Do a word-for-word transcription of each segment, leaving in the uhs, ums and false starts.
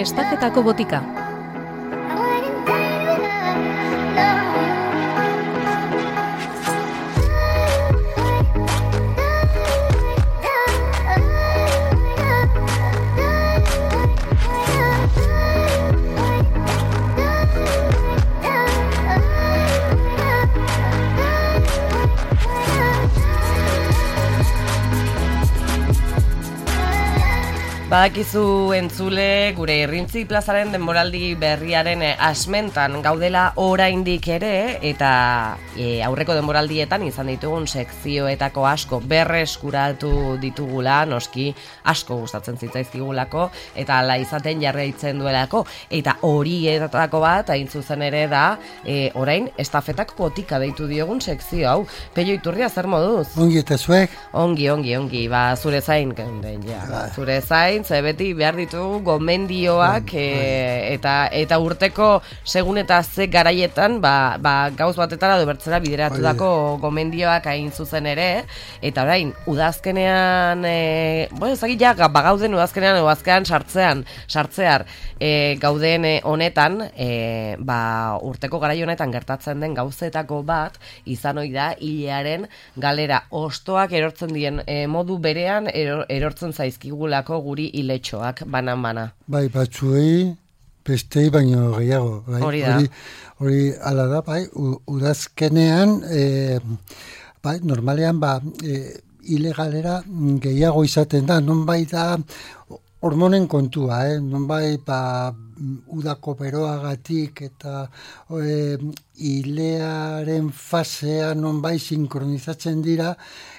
estafetako botika. Badakizu entzule, gure Irrintzi plazaren denboraldi berriaren asmentan gaudela oraindik ere, eta e, aurreko denboraldietan izan ditugun sekzioetako asko berreskuratu ditugula, noski asko gustatzen zitzaizkigulako, eta hala izaten jarraitzen duelako, eta horietako bat, hain zuzen ere da, e, orain estafetak botika deitu diogun sekzio hau. Pello Iturria, zer moduz? Ongi eta zuek? Ongi, ongi, ongi, ba, zure zain, ja, zure zain, ze beti behar ditugu gomendioak e, eta eta urteko segun eta ze garaietan ba, ba, gauz batetara edo bertzera bideratutako gomendioak hain zuzen ere, eta orain udazkenean e, bueno, ezagik ja, bagauden udazkenean edo azkenean sartzean, sartzear e, gauden honetan e, ba, urteko garai honetan gertatzen den gauzetako bat izan ohi da hilearen galera ostoak erortzen dien e, modu berean eror, erortzen zaizkigulako guri iletxoak banan-bana. Bai, batzuei, bestei baino gehiago. Bai? Hori da. Hori, hori ala da, bai, udazkenean, e, bai, normalean, ba, e, ilegalera gehiago izaten da, non bai da hormonen kontua, eh? Non bai, ba, udako beroagatik eta e, ilearen fasea non bai sinkronizatzen dira,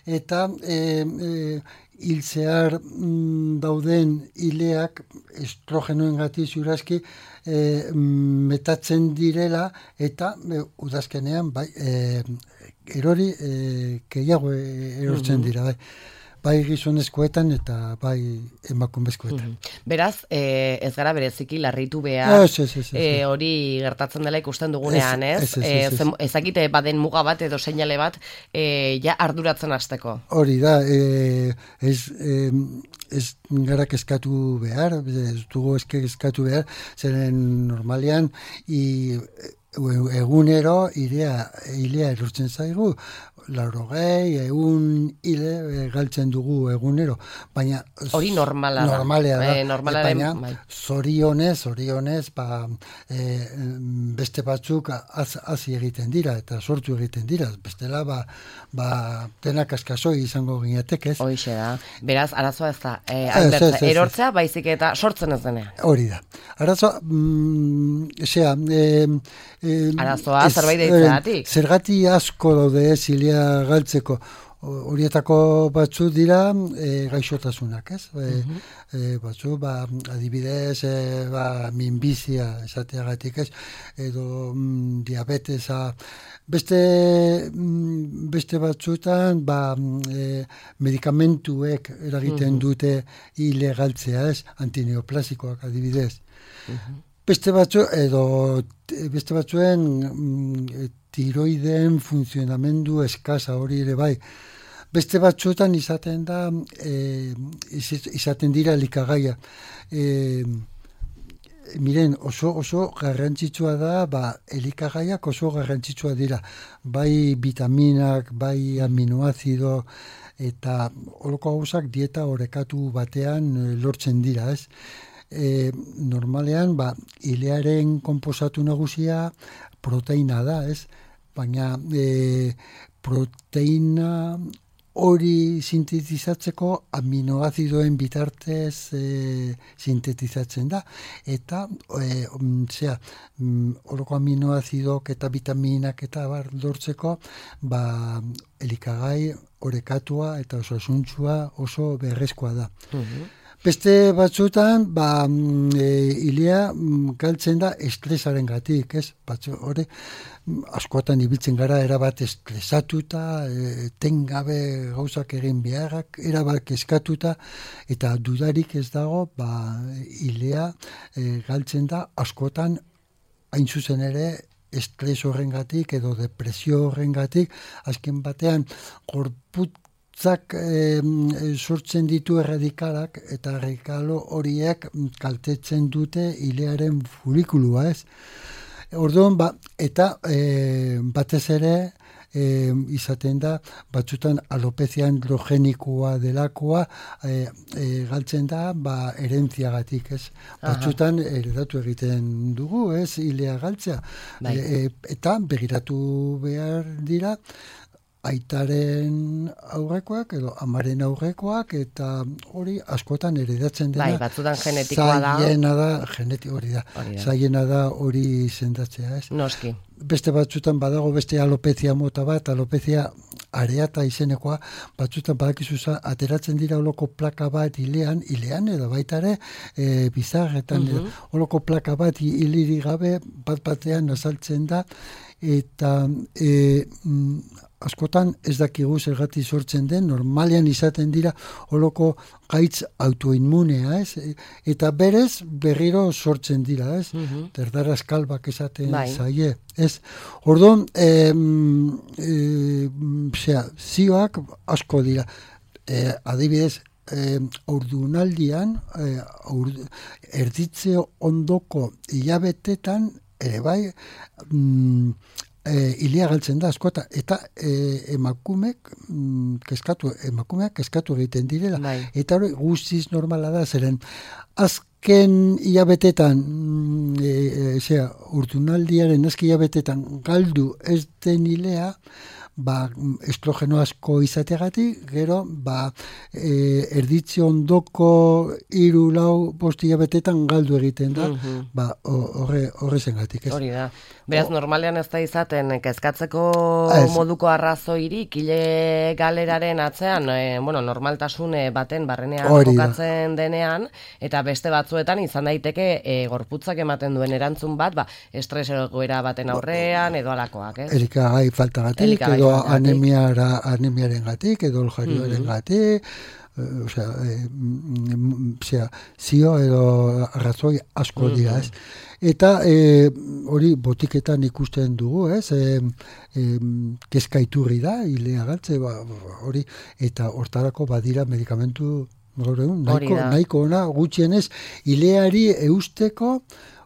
eta e, e, hiltzear mm, dauden ileak estrogenoengatik ziurazki e, metatzen direla, eta e, udazkenean bai, e, erori e, gehiago erortzen dira, bai. Bai gizonezkoetan eta bai emakumezkoetan. Mm-hmm. Beraz, e, ez gara bereziki larritu behar, ez, ez, ez, ez, e, hori gertatzen dela ikusten dugunean, ez? Ez, ez, ez, ez, ez. E, ezakite baden muga bat edo seinale bat e, ja arduratzen hasteko. Hori da, e, ez, e, ez gara kezkatu behar, ez dugu kezkatu behar, zeren normalean i, egunero ilea, ilea erortzen zaigu, laurogei, egun hile galtzen dugu egunero, baina hori normala da, normalea da, e, normalaren, baina bai. zorionez, zorionez, ba, e, beste batzuk hazi egiten dira eta sortu egiten dira, bestela ba, ba denak askasoi izango ginetek, ez? Hoixe da, beraz, arazoa ez da, e, albertza, erortzea baizik eta sortzen ez denean. Hori da, arazoa, mm, esea, e, e, arazoa zerbait deitzeatik. Zergati asko daude ez hilea galtzeko, horietako batzu dira e, gaixotasunak, ez? E, uh-huh. e, batzu, ba, adibidez, e, ba, minbizia esateagatik, ez? Edo mm, diabetesa, beste, mm, beste batzutan, ba, e, medikamentuek eragiten uh-huh. dute ilegaltzea, ez? Antineoplasikoak adibidez. Uh-huh. Beste batzu, edo beste batzuen mm, tiroideen funtzionamendu eskasa hori ere bai. Beste batzuetan izaten da, e, izaten dira elikagaia. E, miren, oso, oso garrantzitsua da, ba, elikagaiak oso garrantzitsua dira. Bai vitaminak, bai aminoazido, eta holoko gauzak dieta orekatu batean lortzen dira, ez? E, normalean, ba, ilearen konposatu nagusia proteina da, ez? Baina e, proteina hori sintetizatzeko aminoazidoen bitartez e, sintetizatzen da. Eta, e, zera, horoko aminoazidok eta vitaminak eta bar lortzeko, ba, elikagai orekatua eta oso asuntzua oso beharrezkoa da. Uh-huh. Beste batzutan, ba, e, ilea galtzen da estresaren gatik, ez? Batzu, hori, askotan ibiltzen gara erabat estresatuta, e, tengabe gauzak egin beharrak, erabat eskatuta, eta dudarik ez dago, ba, ilea e, galtzen da askotan, hain zuzen ere, estres horrengatik edo depresio horrengatik, azken batean, gorput hotzak e, sortzen ditu erradikalak, eta erradikalo horiek kaltetzen dute ilearen folikulua, ez? Orduan, ba, eta e, batez ere, E, izaten da, batzutan alopezia androgenikoa delakoa e, e, galtzen da, ba, herentziagatik, ez? Batzutan eredatu egiten dugu, ez? Ilea galtzea. E, e, eta begiratu behar dira, aitaren aurrekoak edo amaren aurrekoak, eta hori askotan heredatzen dena. Bai, batzutan genetikoa da. Zaiena da, geneti hori da. Zaiena da hori sendatzea, ez? Noski. Beste batzutan badago beste alopezia mota bat, alopezia areata izenekoa, batzutan badakizuza ateratzen dira holoko plaka bat ilean, ilean edo baita ere e, bizarretan, uh -huh. holoko plaka bat hiliri gabe bat batean azaltzen da, eta e, mm, askotan ez dakigu zergatik sortzen den, normalean izaten dira holoko gaitz autoinmunea, ez? Eta berez berriro sortzen dira, ez? Uh-huh. Terdaraz kalbak esaten bai. Zaie, ez? Orduan, e, e, zera, zioak asko dira. E, adibidez, e, ordunaldian, e, urdu, erditze ondoko hilabetetan, ere bai, mm, E, ilea galtzen da askota, eta e, emakumek mm, keskatu, emakumeak keskatu egiten direla. Bai. Eta hori guztiz normala da, zeren azken hilabetetan, mm, e, e, urtunaldiaren azken hilabetetan galdu ez den ilea, ba, estrogeno asko izategatik, gero, ba, e, erditze ondoko hiru lau bost hilabetetan galdu egiten da, uh-huh. ba, horre, horre zengatik, ez? Hori da. Beraz, normalean ez da izaten, kezkatzeko ez. Moduko arrazoirik, ile galeraren atzean, e, bueno, normaltasun baten barrenean kokatzen denean, eta beste batzuetan izan daiteke e, gorputzak ematen duen erantzun bat, ba, estres egoera baten aurrean, edo alakoak, ez? Elikagai faltagatik, edo anemiara, anemiaren gatik, edo oljarioaren uh-huh. gatik, o sea, e, mm, sea, zio edo arrazoi asko uh-huh. dira, ez? Eta e, hori botiketan ikusten dugu, ez? E, e, kezkaiturri da, ilea galtze, ba, hori, eta hortarako badira medikamentu gaur egun, nahiko, nahiko ona, gutxienez, ileari eusteko,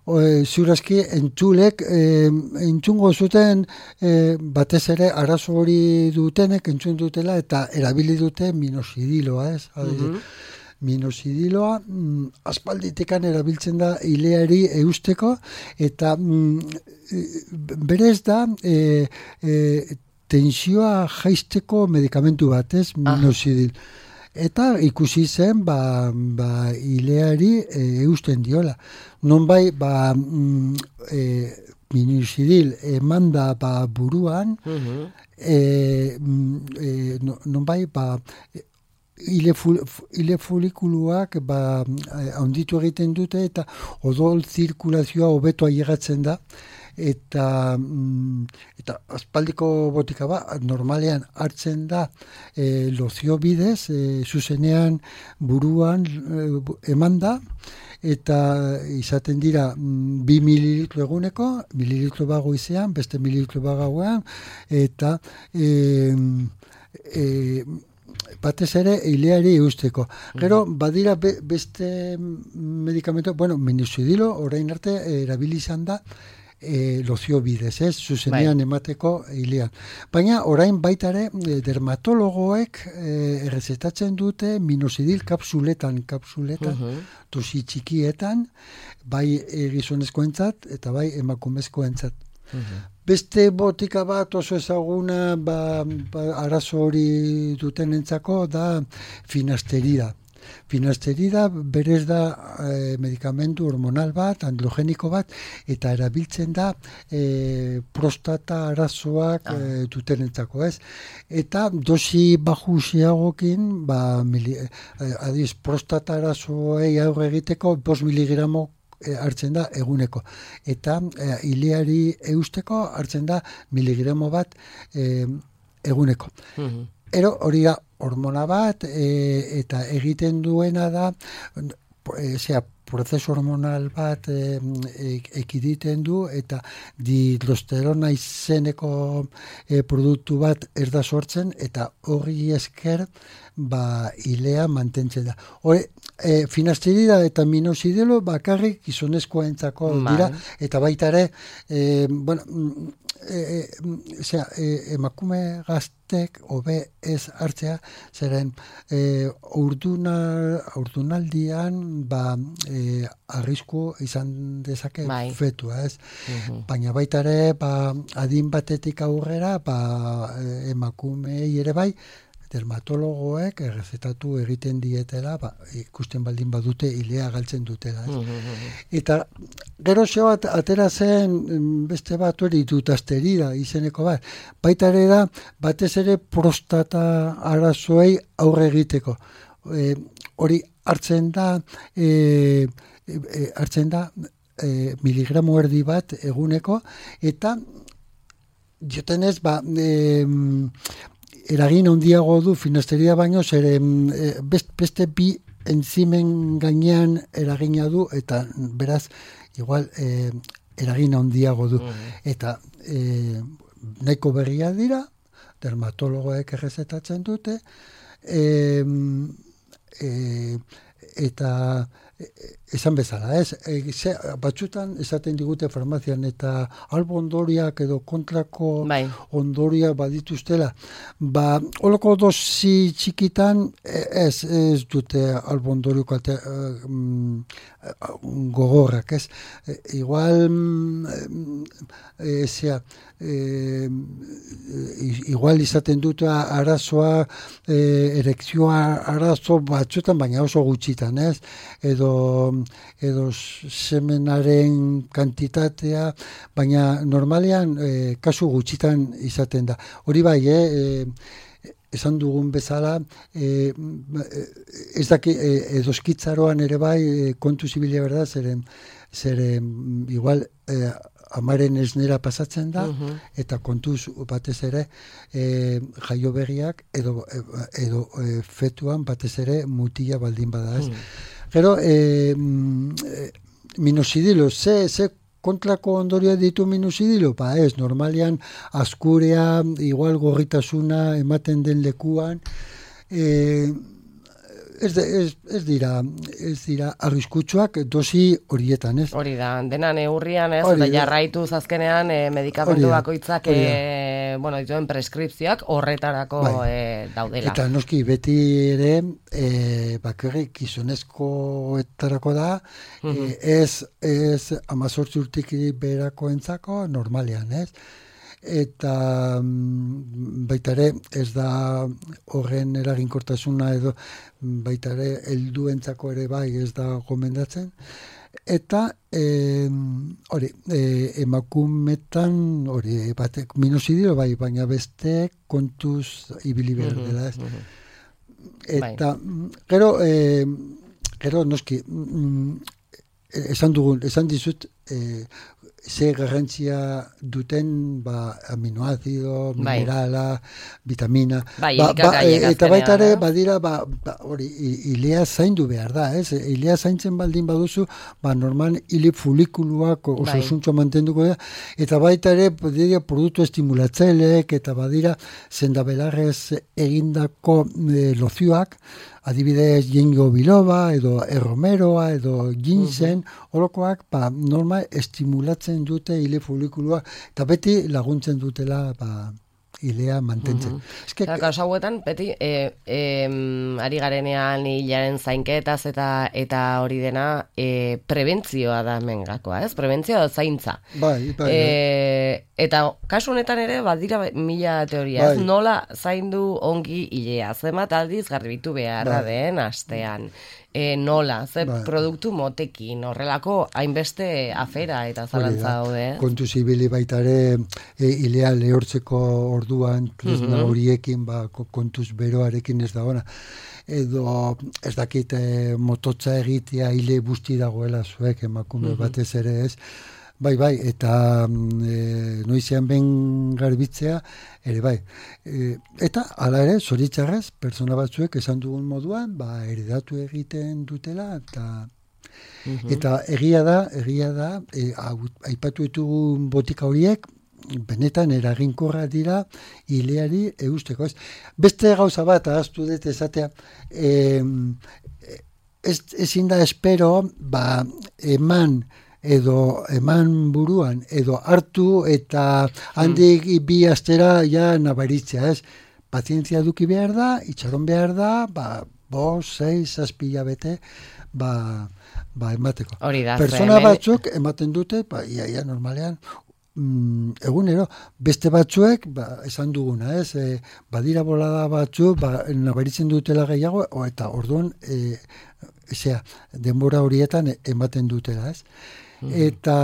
E, ziurazki entzulek e, entzungo zuten e, batez ere arazo hori dutenek entzun dutela eta erabili dute minosidiloa, ez? Uh-huh. Minosidiloa mm, aspalditekan erabiltzen da ileari eusteko eta mm, berez da e, e, tensioa jaisteko medikamentu bat, ez? Minosidil. Eta ikusi zen, ba, ba ileari e, eusten diola. Nonbai, ba, mm, e, minosidil emanda ba buruan, uh-huh. e, e, nonbai, ba, ile, ful, ile folikuluak ba, handitu egiten dute eta odol zirkulazioa hobeto ailegatzen da. Eta, mm, eta aspaldiko botika ba, normalean hartzen da e, lozio bidez, e, zuzenean buruan e, eman da, eta izaten dira mm, bi mililitro eguneko, mililitro bago izean, beste mililitro bagauean, eta e, e, batez ere ileari eusteko. Gero, badira be, beste medikamentu, bueno, minosidilo, orain arte erabili izan da, E, lozio bidez, ez, zuzenean bai. Emateko hilean. Baina orain baitare dermatologoek e, errezetatzen dute minosidil kapsuletan, kapsuletan, uh-huh. dosi txikietan, bai e, gizonezkoentzat eta bai emakumezkoentzat. Uh-huh. Beste botika bat oso ezaguna ba, ba, arazo hori dutenentzako da finasterida. Finasterida berez da e, medikamentu hormonal bat, androgeniko bat, eta erabiltzen da e, prostata arazoak ah. e, dutenentzako, ez? Eta dosi bajusiagokin, ba, mili, e, adiz, prostata arazoei aurre egiteko bost miligramo e, hartzen da eguneko. Eta e, ileari eusteko hartzen da miligramo bat e, eguneko. Uh-huh. Ero hori da hormona bat e, eta egiten duena da zera, prozesu hormonal bat e, e, ekiditen du eta dihidrosterona izeneko e, produktu bat ez da sortzen eta hori esker ba ilea mantentzen da. Hore, e, finasterida eta minoxidilo bakarrik gizonezkoentzako dira eta baita ere e, bueno, E, e, zera, e, emakume gaztek hobe ez hartzea zeren e, urduna, urdunaldian ba, e, arrisku izan dezake bai. Fetua ez uh-huh. Baina baita ere ba, adin batetik aurrera ba, emakumei ere bai dermatologoek errezetatu egiten dietela, ba, ikusten baldin badute ilea galtzen dutela. Eta gero zeo at, atera zen beste bat hori dutasterida izeneko bat. Baita ere da, batez ere prostata arazoei aurre egiteko. E, hori hartzen da, e, e, hartzen da e, miligramo erdi bat eguneko, eta jotenez, ba, e, eragin handiago du finasteria baino, zer beste bi enzimen gainean eragina du, eta beraz, igual, eh, eragin handiago du. Mm-hmm. Eta eh, nahiko berria dira, dermatologoek errezetatzen dute, eh, eh, eta esan bezala, ez? E, ze, batzutan esaten digute farmazian eta albo ondoriak edo kontrako bai. Ondoriak badituztela. Ba, holoko dosi txikitan ez, ez dute albo ondoriak ate, um, gogorrak, ez? E, igual e, zera, e, igual izaten dute arazoa, e, erekzioa arazo batzutan, baina oso gutxitan, ez? Edo edo semenaren kantitatea, baina normalean e, kasu gutxitan izaten da. Hori bai, eh, e, esan dugun bezala, e, ez daki, e, edoskitzaroan ere bai, e, kontu zibilia berda, zeren, zeren igual e, amaren esnera pasatzen da, uh-huh. eta kontuz batez ere e, jaio berriak edo, edo e, fetuan batez ere mutila baldin bada ez. Uh-huh. Gero, e, minoxidilo, ze, ze kontrako ondorioa ditu minoxidilo? Ba ez, normalian askurea, igual gorritasuna ematen den lekuan, e, ez, ez, ez dira, ez dira arriskutsuak dosi horietan, ez? Hori da, dena neurrian, ez? Eta jarraitu azkenean e, medikamentu bakoitzak e, bueno, dituen preskripzioak horretarako bai. e, daudela. Eta noski beti ere e, bakarrik gizonezkoetarako da, uh-huh. e, ez, ez amazortzi urtik berako entzako normalean, ez? Eta baita ere ez da horren eraginkortasuna edo baita ere helduentzako ere bai ez da gomendatzen eta e, hori e, emakumetan hori batek minoxidilo bai baina beste kontuz ibili behar dela ez uh-huh. Eta bai. gero e, gero noski esan dugun esan dizut e, ze garrantzia duten ba, aminoazido, minerala, bai. Vitamina. Bai, ba, ba, eta baita ere, badira, ba, ba, hori, ilea zaindu behar da, ez? Ilea zaintzen baldin baduzu, ba, normal, ile folikuluak oso bai. Zuntxo mantenduko da, eta baita ere, badira, produktu estimulatzailek, eta badira, zendabelarrez egindako e, lozioak, adibidez ginkgo biloba, edo erromeroa, edo ginseng, uh-huh. Horokoak, ba, normal, estimulatzen dute ile folikulua, eta beti laguntzen dutela, ba, ilea mantentzen. Uh-huh. Eske, kasu hauetan, beti, e, e, ari garenean hilaren zainketaz eta eta hori dena e, prebentzioa da mengakoa, ez? Prebentzioa da zaintza. Bai, bai. E, eta kasu honetan ere, badira mila teoria, bai. Nola zaindu ongi ilea, zenbat aldiz garbitu beharra bai. Den astean. E, nola, ze bai. Produktu motekin, horrelako hainbeste afera eta zalantza daude. Kontu zibili baita ere e, ilea lehortzeko orduan tresna uh-huh. horiekin ba, kontuz beroarekin ez da ona. Edo ez dakit e, mototza egitea ile busti dagoela zuek emakume uh-huh. batez ere ez. Bai, bai, eta e, noizean ben garbitzea, ere bai. E, eta, hala ere, zoritzarrez, pertsona batzuek esan dugun moduan, ba, heredatu egiten dutela, eta Mm-hmm. Eta egia da, egia da, e, aipatu ditugun botika horiek, benetan eraginkorra dira ileari eusteko. Ez? Beste gauza bat, ahaztu dut esatea, e, ez, ezin da espero, ba, eman, edo eman buruan, edo hartu eta handik bi astera ja nabaritzea, ez? Pazientzia duki behar da, itxaron behar da, ba, bos, seis, zazpila bete, ba, ba emateko. Hori da. Persona batzuk ematen dute, ba, ia, ia normalean, mm, egunero, beste batzuek, ba, esan duguna, ez? E, badira bolada batzuk, ba, nabaritzen dutela gehiago, o, eta orduan, e, Ezea, denbora horietan ematen dutela, ez? Mm. Eta,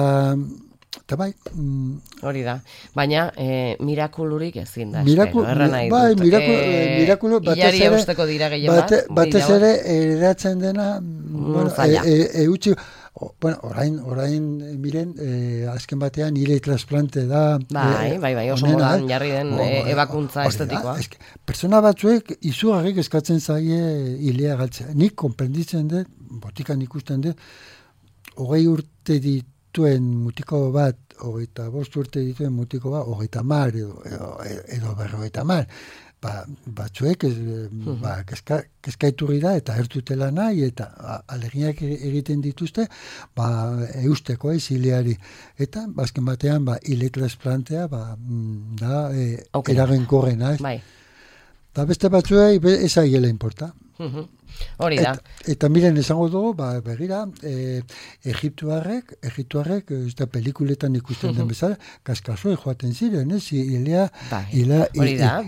eta bai... Mm, hori da. Baina, e, mirakulurik ezin da. Miraku, espero, nahi bai, dut. miraku, e, mirakulu, batez ere... eusteko dira gehien bat. Batez ere, eratzen dena... Bueno, e, e, e, utzi, o, bueno, orain, orain, miren, e, azken batean, hile transplante da... Bai, e, bai, bai, oso onena, modan, jarri den e, ebakuntza estetikoa. Eske, persona batzuek izugarrik eskatzen zaie hilea galtzea. Nik konprenditzen dut, botikan ikusten dut, hogei urte dituen mutiko bat, hogeita bost urte dituen mutiko bat, hogeita mar edo, edo, edo berrogeita mar. Ba, batzuek ez, uh-huh. ba, kezka, kezkaiturri da eta ertutela nahi eta aleginak egiten dituzte ba, eusteko ez hileari. Eta bazken batean ba, hile transplantea ba, da e, okay. eragenkorrena. Bai. Da beste batzuei ez aiela importa. Uh-huh. Hori da. Et, eta miren esango dugu, ba, begira, e, Egiptuarrek, Egiptuarrek, ez da pelikuletan ikusten den bezala, kaskasoi joaten ziren, ez? Ilea, ilea,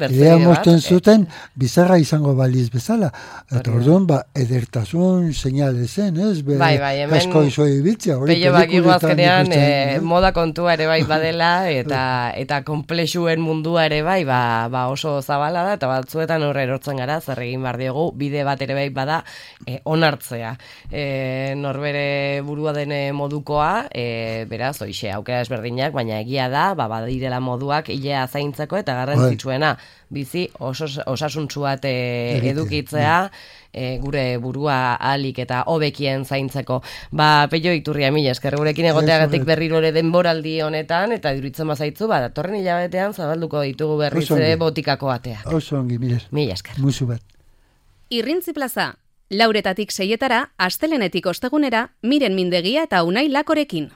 ilea mozten zuten, bizarra izango baliz bezala. Eta orduan, ba, edertasun seinale zen, ez? Be, bai, bai, hemen, kasko izoi biltzea. Pello bakigu azkenean, e, moda kontua ere bai badela, eta eta komplexuen mundua ere bai, ba, ba oso zabala da, eta batzuetan horre erortzen gara, zer egin bar diogu, bide bat ere bai bada e, onartzea. E, norbere burua dene modukoa, e, beraz, oixe, aukera ezberdinak, baina egia da, ba, badirela moduak hilea zaintzeko eta garrantzitsuena bizi osos, osasuntsuat e, edukitzea, e, gure burua alik eta hobekien zaintzeko. Ba, Pello Iturria, mila esker gurekin egoteagatik berriro ere denboraldi honetan, eta duritzen bazaitzu, ba, datorren hilabetean zabalduko ditugu berriz ere botikako ateak. Oso ongi, mila. Mila esker. Musu bat. Irrintzi plaza, lauretatik seietara, astelenetik ostegunera, Miren Mindegia eta Unai Lakorekin.